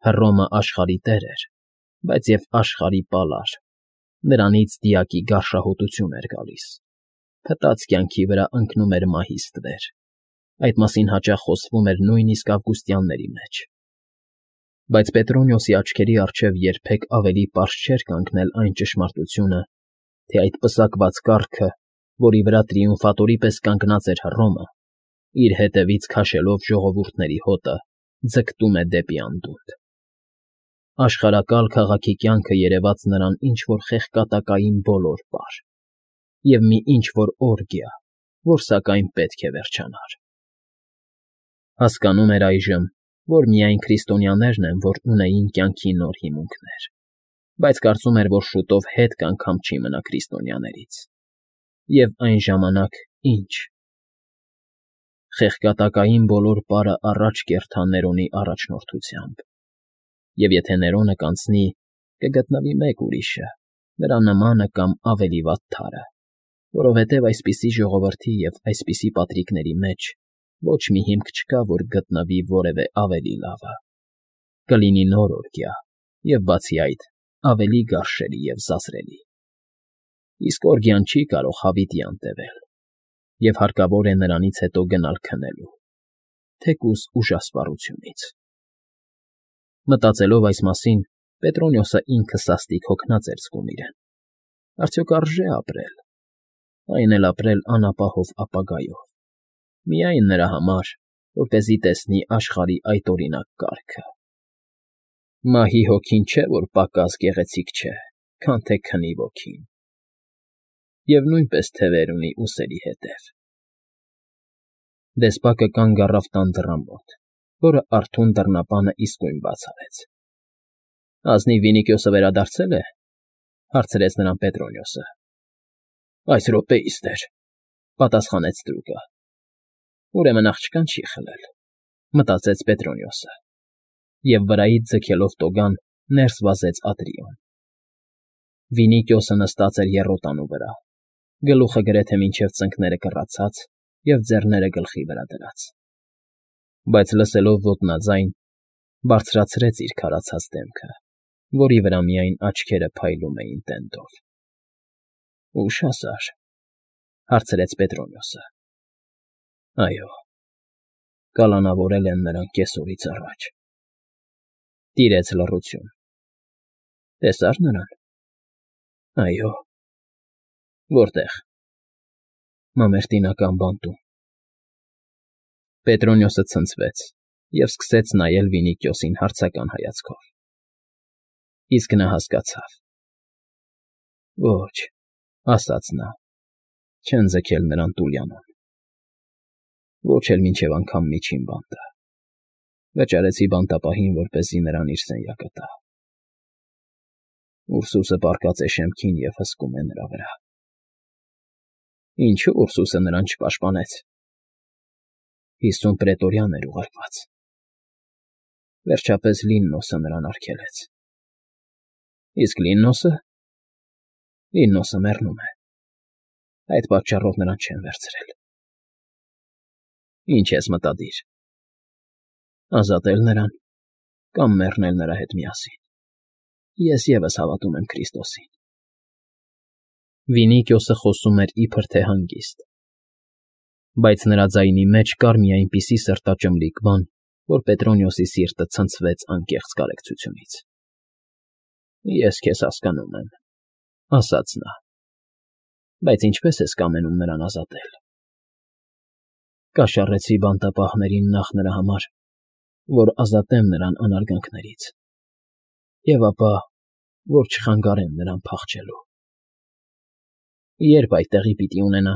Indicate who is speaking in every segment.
Speaker 1: Հռոմը աշխարհի տեր էր, բայց և աշխարհի պալար, նրանից դիակի գարշահոտություն էր գալիս, փտած կյանքի վրա ընկնում էր մահի ստվեր, այդ մասին հաճախ խոսվում էր նույնիսկ ավգուստյանների մեջ։ Բայց Պետրոնիոսի աչքերի առջև երբեք ավելի պարզ չէր կանգնել այն ճշմարտությունը, թե այդ պսակված կառքը, որի վրա տրիումֆատորի պես կանգնած էր Հռոմը, իր հետևից քաշելով ժողովուրդների հոտը, ձգտում է դեպի անդունդը։ Աշխարհակալ քաղաքի կյանքը երևաց նրան ինչ֊որ խեղկատակային բոլոր պար և մի ինչ֊որ օրգիա, որ սակայն պետք է վերջանար։ Հասկանում էր այժմ, որ միայն քրիստոնյաներն են, որ ունեին կյանքի նոր հիմունքներ, բայց կարծում էր, որ շուտով հետ կանգամ չի մնա քրիստոնյաներից։ Եվ այն ժամանակ ի՞նչ։ Խեղկատակային բոլոր պարը առաջ կերտա Ներոնի առաջնորդությամբ, և եթե Ներոնը կանցնի, կգտնվի մեկ ուրիշը, նրա նմանը կամ ավելի վատ թարը, որովհետև այսպիսի ժողովրդի և այսպիսի պատրիկների մեջ ոչ մի հիմք չկա, որ գտնվի որևէ ավելի լավը։ Կլինի նոր օրգյա և, բացի այդ, ավելի գարշելի և զազրելի։ Իսկ օրգյան չի կարող հավիտյան տևել, և հարկավոր է նրանից հետո գնալ քնելու, թեկուզ ուժասպառությունից։ Մտածելով այս մասին, Պետրոնիոսը ինքը սաստիկ հոգնած էր զգում իրեն։ Արդյոք արժե՞ ապրել, այն էլ ապրել անապահով ապագայով, միայն նրա համար, որպեսզի տեսնի աշխարհի այդօրինակ կարգը։ Մահի հոգին չէ, որ պակաս գեղեցիկ չէ, քան թե քնի ոգին, և նույնպես թևեր ունի ուսերի հետև։ Դեսպակը կանգ առավ տան դռան մոտ, որը արթուն դռնապանը իսկույն բաց արեց։ ֊ Ազնիվ Վինիքիոսը վերադարձե՞լ է,֊ հարցրեց նրան Պետրոնիոսը։ ֊ Այս րոպեիս, տեր,֊ պատասխանեց ստրուկը։ Ուրեմն աղջկան չի խլել,֊ մտածեց Պետրոնիոսը, և վրայից ձգելով տոգան ներս վազեց ատրիոն։ Վինիքիոսը նստած էր եռոտանու վրա, գլուխը գրեթե մինչև ծնկները կռացած և ձեռները գլխի վրա դրած, բայց լսելով ոտնաձայն, բարձրացրեց իր քարացած դեմքը, որի վրա միայն աչքերը փայլում էին տենդով։ ֊ Ուշ հասար,֊ հարցրեց Պետրոնիոսը։ ֊ Այո, կալանավորել են նրան կեսօրից առաջ։ Տիրեց լռություն։ ֊ Տեսա՞ր նրան։ ֊ Այո։ ֊ Որտե՞ղ։ ֊ Մամերտինական բանտում։ Պետրոնիոսը ցնցվեց և սկսեց նայել Վինիքիոսին հարցական հայացքով։ Իսկ նա հասկացավ։ Ոչ,֊ ասաց նա, չեն ձգել նրան Տուլյանոն, ոչ էլ մինչև անգամ միջին բանտը, վճարեցի բանտապահին, որպեսզի նրան իր սենյակը տա։ Ուրսուսը պառկած է շեմքին և հսկում է նրա վրա։ Ինչո՞ւ Ուրսուսը նրան չպաշտպանեց։ 50 պրետորյան էր ուղարկված։ Վերջապես Լիննոսը նրան արգելեց։ Իսկ Լիննոսը։ Լիննոսը մեռնում է։ Այդ պատճառով նրան չեն վերցրել։ Ինչ ես մտադիր։ Ազատել նրան կամ մեռնել նրա հետ միասին։ Ես ևս հավատում եմ Քրիստոսին։ Վինիքիոսը խոսում էր իբր թե հանգիստ, բայց նրա ձայնի մեջ կար մի այնպիսի սրտաճմլիկ բան, որ Պետրոնիոսի սիրտը ցնցվեց անկեղծ կարեկցությունից։ Ես քեզ հասկանում եմ,֊ ասաց նա,֊ բայց ինչպե՞ս ես կամենում նրան ազատել։ Կաշառեցի բանտապահներին նախ նրա համար, որ ազատեմ նրան անարգանքներից, և ապա, որ չխանգարեմ նրան փախչելու։ Ե՞րբ այդտեղի պիտի ունենա։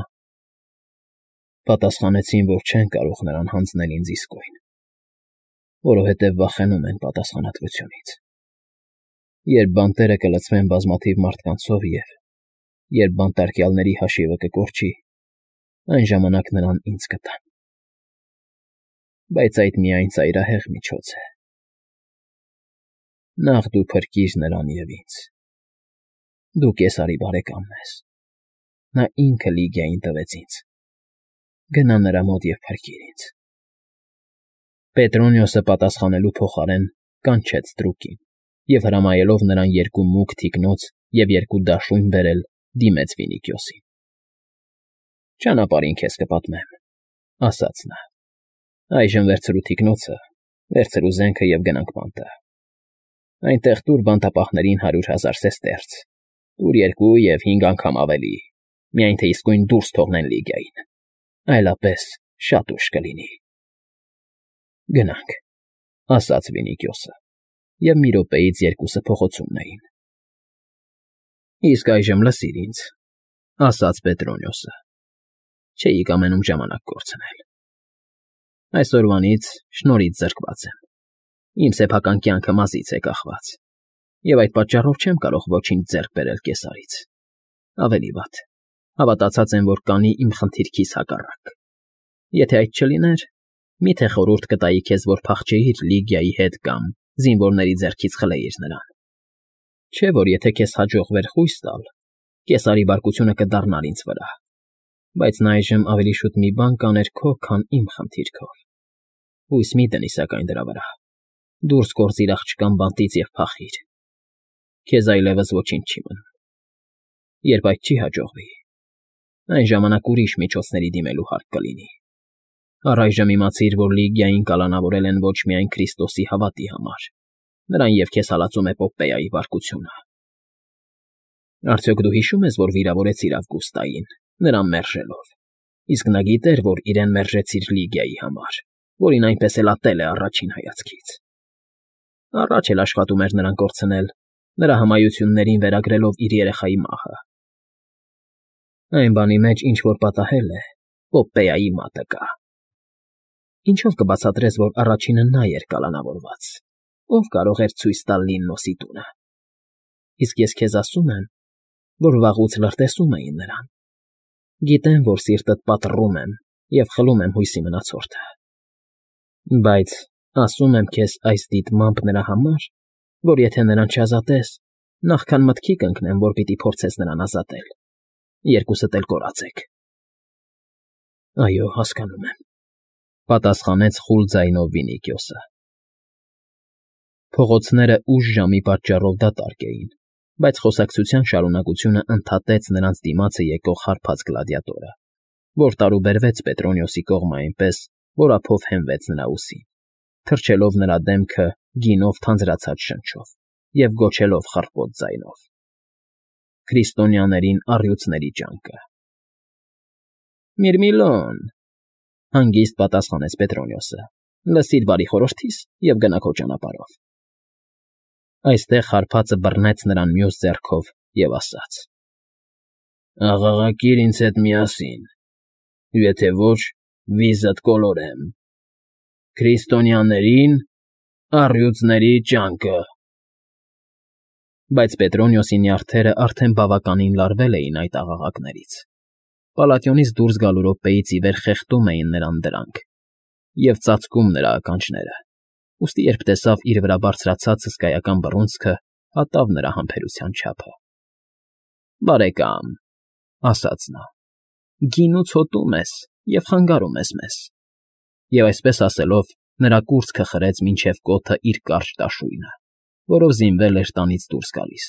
Speaker 1: Պատասխանեցին, որ չեն կարող նրան հանձնել ինձ իսկույն, որովհետև վախենում են պատասխանատվությունից։ Երբ բանտերը կլցվեն բազմաթիվ մարդկանցով և երբ բանտարկյալների հաշիվը կկորչի, այն ժամանակ նրան ինձ կտան։ Բայց այդ միայն ծայրահեղ միջոց է։ Նախ դու փրկիր նրան և ինձ։ Դու Կեսարի բարեկամն ես։ Նա ինքը Լիգիային տվեց ինձ։ Գնա նրա մոտ և փրկիր ինձ։ Պետրոնիոսը պատասխանելու փոխարեն կանչեց Ստրուկին և հրամայելով նրան երկու մուգ թիկնոց և երկու դաշույն բերել, դիմեց Վինիքիոսին։ «Ճանապարհին քեզ կպատմեմ,֊ ասաց նա։֊ Այժմ վերցրու թիկնոցը, վերցրու զենքը և գնանք բանտը։ Այնտեղ տուր բանտապահներին 100,000 սեստերց, տուր 2 և 5 անգամ ավելի, միայն թե իսկույն դուրս թողնեն Լիգիային, այլապես շատ ուշ կլինի»։ «Գնանք,֊ ասաց Վինիքիոսը, և մի րոպեից երկուսը փողոցումն էին։ «Իսկ այժմ լսիր ինձ,֊ ասաց Պետրոնիոսը,֊ չէի կամենում ժամանակ կորցնել։ Այսօրվանից շնորհից զրկված եմ, իմ սեփական կյանքը մազից է կախված, և այդ պատճառով չեմ կարող ոչինչ ձեռք բերել Կեսարից։ Ավելի վատ, հավատացած եմ, որ կանի իմ խնդիրքիս հակառակ։ Եթե այդ չլիներ, մի՞թե խորհուրդ կտայի քեզ, որ փախչեիր Լիգիայի հետ կամ զինվորների ձեռքից խլեիր նրան։ Չէ՞ որ եթե քեզ հաջողվեր խույս տալ, Կեսարի բարկությունը կդառնար ինձ վրա, բայց նա այժմ ավելի շուտ մի բան կաներ քո, քան իմ խնդիրքով։ Հույս մի դնի սակայն դրա վրա, դուրս գործիր աղջկան բանտից և փախիր։ Քեզ այլևս ոչինչ չի մնում։ Երբ այդ չի հաջողվի, այն ժամանակ ուրիշ միջոցների դիմելու հարկ կլինի։ Առայժմ իմացիր, որ Լիգիային կալանավորել են ոչ միայն Քրիստոսի հավատի համար, նրան և քեզ հալածում է Պոպպեայի բարկությունը։ Արդյոք դու հիշո՞ւմ ես, որ վիրավորեցիր Ավգուստային, նրան մերժելով, իսկ նա գիտեր, որ իրեն մերժեցիր Լիգիայի համար, որին այնպես էլ ատել է առաջին հայացքից։ Առաջ էլ աշխատում էր նրան կորցնել, նրա հմայություններին վերագրելով իր երեխայի մահը։ Այն բանի մեջ, ինչ որ պատահել է, Պոպպեայի մատը կա։ Ինչո՞վ կբացատրես, որ առաջինը նա էր կալանավորված, ով կարող էր ցույց տալ Լիննոսի տունը։ Իսկ ես քեզ ասում եմ, որ վաղուց լրտեսում էին նրան։ Գիտեմ, որ սիրտդ պատռում եմ և խլում եմ հույսի մնացորդը։ Բայց ասում եմ քեզ այս դիտմամբ նրա համար, որ եթե նրան չազատես, նախքան մտքի կընկնեմ, որ պիտի փորձես նրան ազատել, երկուսդ էլ կորած եք։ Այո, հասկանում եմ,֊ պատասխանեց խուլ ձայնով Վինիքիոսը։ Փողոցները ուշ ժամի պատճառով դատարկ էին, բայց խոսակցության շարունակությունը ընդհատեց նրանց դիմացը եկող հարբած գլադիատորը, որ տարուբերվեց Պետրոնիոսի կողմը այնպես, որ ափով հենվեց նրա ուսին, թրջելով նրա դեմքը գինով թանձրացած շնչով և գոչելով խռպոտ ձայնով. «Քրիստոնյաներին առյուծների ճանկը»։ «Միրմիլոն,֊ հանգիստ պատասխանեց Պետրոնիոսը,֊ լսիր բարի խորհրդիս և գնա քո ճանապարհով»։ Այստեղ հարբածը բռնեց նրան մյուս ձեռքով և ասաց. «Աղաղակիր ինձ հետ միասին, եթե ոչ, վիզդ կոլորեմ. Քրիստոնյաներին առյուծների ճանկը»։ Բայց Պետրոնիոսի նյարդերն արդեն բավականին լարվել էին այդ աղաղակներից։ Պալատիոնից դուրս գալու րոպեից ի վեր խեղդում էին նրան դրանք և ծածկում նրա ականջները, ուստի երբ տեսավ իր վրա բարձրացած հսկայական բռունցքը, հատավ նրա համբերության չափը։ «Բարեկամ,֊ ասաց նա,֊ գինուց հոտում ես և խանգարում ես մեզ»։ Եվ այսպես ասելով, նրա կուրծքը խրեց մինչև կոթը իր կարճ դաշույնը, որով զինվել էր տանից դուրս գալիս։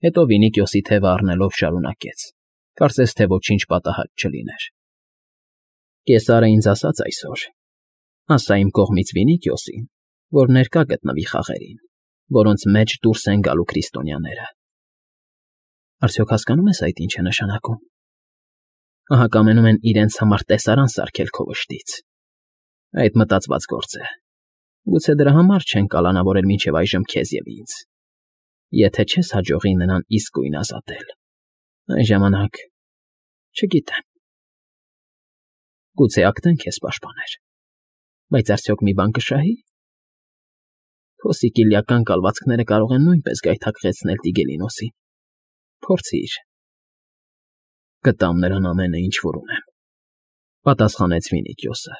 Speaker 1: Հետո Վինիքիոսի թևը առնելով շարունակեց, կարծես թե ոչինչ պատահած չլիներ. «Կեսարը ինձ ասաց այսօր. ասա իմ կողմից Վինիքիոսին, որ ներկա գտնվի խաղերին, որոնց մեջ դուրս են գալու քրիստոնյաները։ Արդյոք հասկանո՞ւմ ես այդ ինչ է նշանակում։ Ահա կամենում են իրենց համար տեսարան սարքել քո վշտից։ Այդ մտածված գործ է։ Գուցե դրա համար չեն կալանավորել մինչև այժմ քեզ և ինձ։ Եթե չես հաջողի նրան իսկույն ազատել, այն ժամանակ… չգիտեմ… Գուցե Ակտեն քեզ պաշտպաներ, բայց արդյոք մի բան կշահի՞։ Քո սիկիլիական կալվածքները կարող են նույնպես գայթակղեցնել Տիգելինոսին։ Փորձիր։ Կտամ նրան ամենը, ինչ որ ունեմ,֊ պատասխանեց Վինիքիոսը։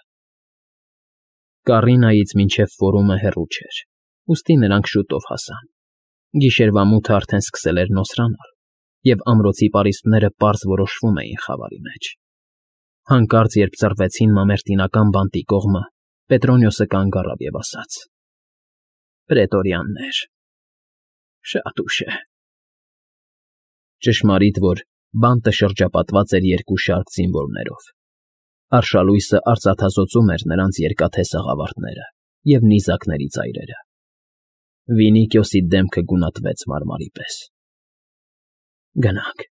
Speaker 1: Կարինայից մինչև Ֆորումը հեռու չէր, ուստի նրանք շուտով հասան։ Գիշերվա մութը արդեն սկսել էր նոսրանալ, և ամրոցի պարիսպները պարզ որոշվում էին խավարի մեջ։ Հանկարծ, երբ ծռվեցին մամերտինական բանտի կողմը, Պետրոնիոսը կանգ առավ և ասաց. Պրետորյաններ… Շատ ուշ է… Ճշմարիտ, որ բանտը շրջապատված էր երկու շարք զինվորներով. արշալույսը արծաթազօծում էր նրանց երկաթե սաղավարտները և նիզակների ծայրերը։ Վինիքիոսի դեմքը գունատվեց մարմարի պես։ ֊ Գնանք,֊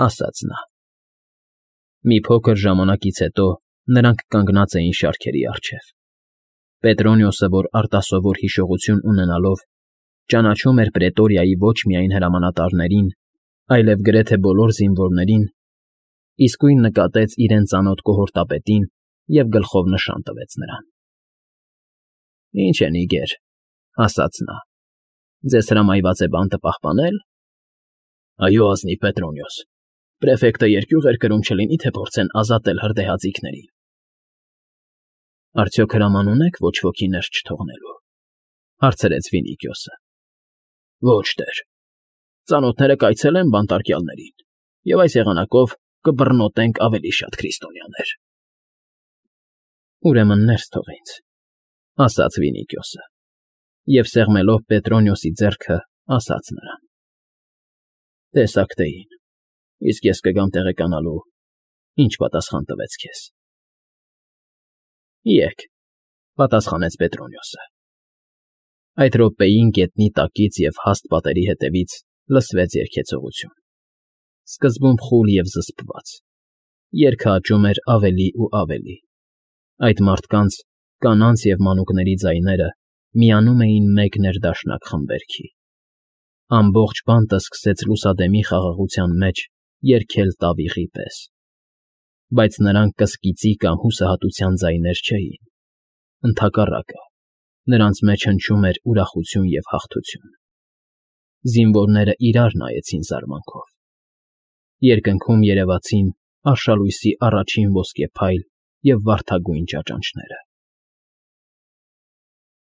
Speaker 1: ասաց նա։ Մի փոքր ժամանակից հետո նրանք կանգնած էին շարքերի առջև։ Պետրոնիոսը, որ արտասովոր հիշողություն ունենալով, ճանաչում էր Պրետորիայի ոչ միայն հրամանատարներին, այլև գրեթե բոլոր զինվորներին, իսկույն նկատեց իրեն ծանոթ կողորտապետին և գլխով նշան տվեց նրան։ ֊ Ինչ է, նիգեր,֊ ասաց նա,֊ ձեզ հրամայված է բանտը պահպանել։ ֊ Այո, ազնիվ Պետրոնիոս, պրեֆեկտը երկյուղ էր կրում չլինի թե փորձեն ազատել հրդեհաձիգներին։ ֊ Արդյոք հրաման ունեք ոչ ոքի ներս չթողնելու,֊ հարցրեց Վինիքիոսը։ ֊ Ոչ, տեր, ծանոթները կայցելեն բանտարկյալներին, և այս եղանակով կբռնոտենք ավելի շատ քրիստոնյաներ։ ֊ Ուրեմն ներս թող ինձ,֊ ասաց Վինիքիոսը, և սեղմելով Պետրոնիոսի ձեռքը, ասաց նրան. «Տես Ակտեին, իսկ ես կգամ տեղեկանալու, ինչ պատասխան տվեց քեզ»։ ֊ Եկ,֊ պատասխանեց Պետրոնիոսը։ Այդ րոպեին գետնի տակից և հաստ պատերի ետևից լսվեց երգեցողություն, սկզբում խուլ և զսպված, երգը աճում էր ավելի ու ավելի, այդ մարդկանց, կանանց և մանուկների ձայները միանում էին մեկ ներդաշնակ խմբերգի։ Ամբողջ բանտը սկսեց լուսադեմի խաղաղության մեջ երգել տավիղի պես, բայց նրանք կսկիծի կամ հուսահատության ձայներ չէին, ընդհակառակը, նրանց մեջ հնչում էր ուրախություն և հաղթություն։ Զինվորները իրար նայեցին զարմանքով։ Երկնքում երևացին արշալույսի առաջին ոսկե փայլ և վարդագույն ճաճանճները։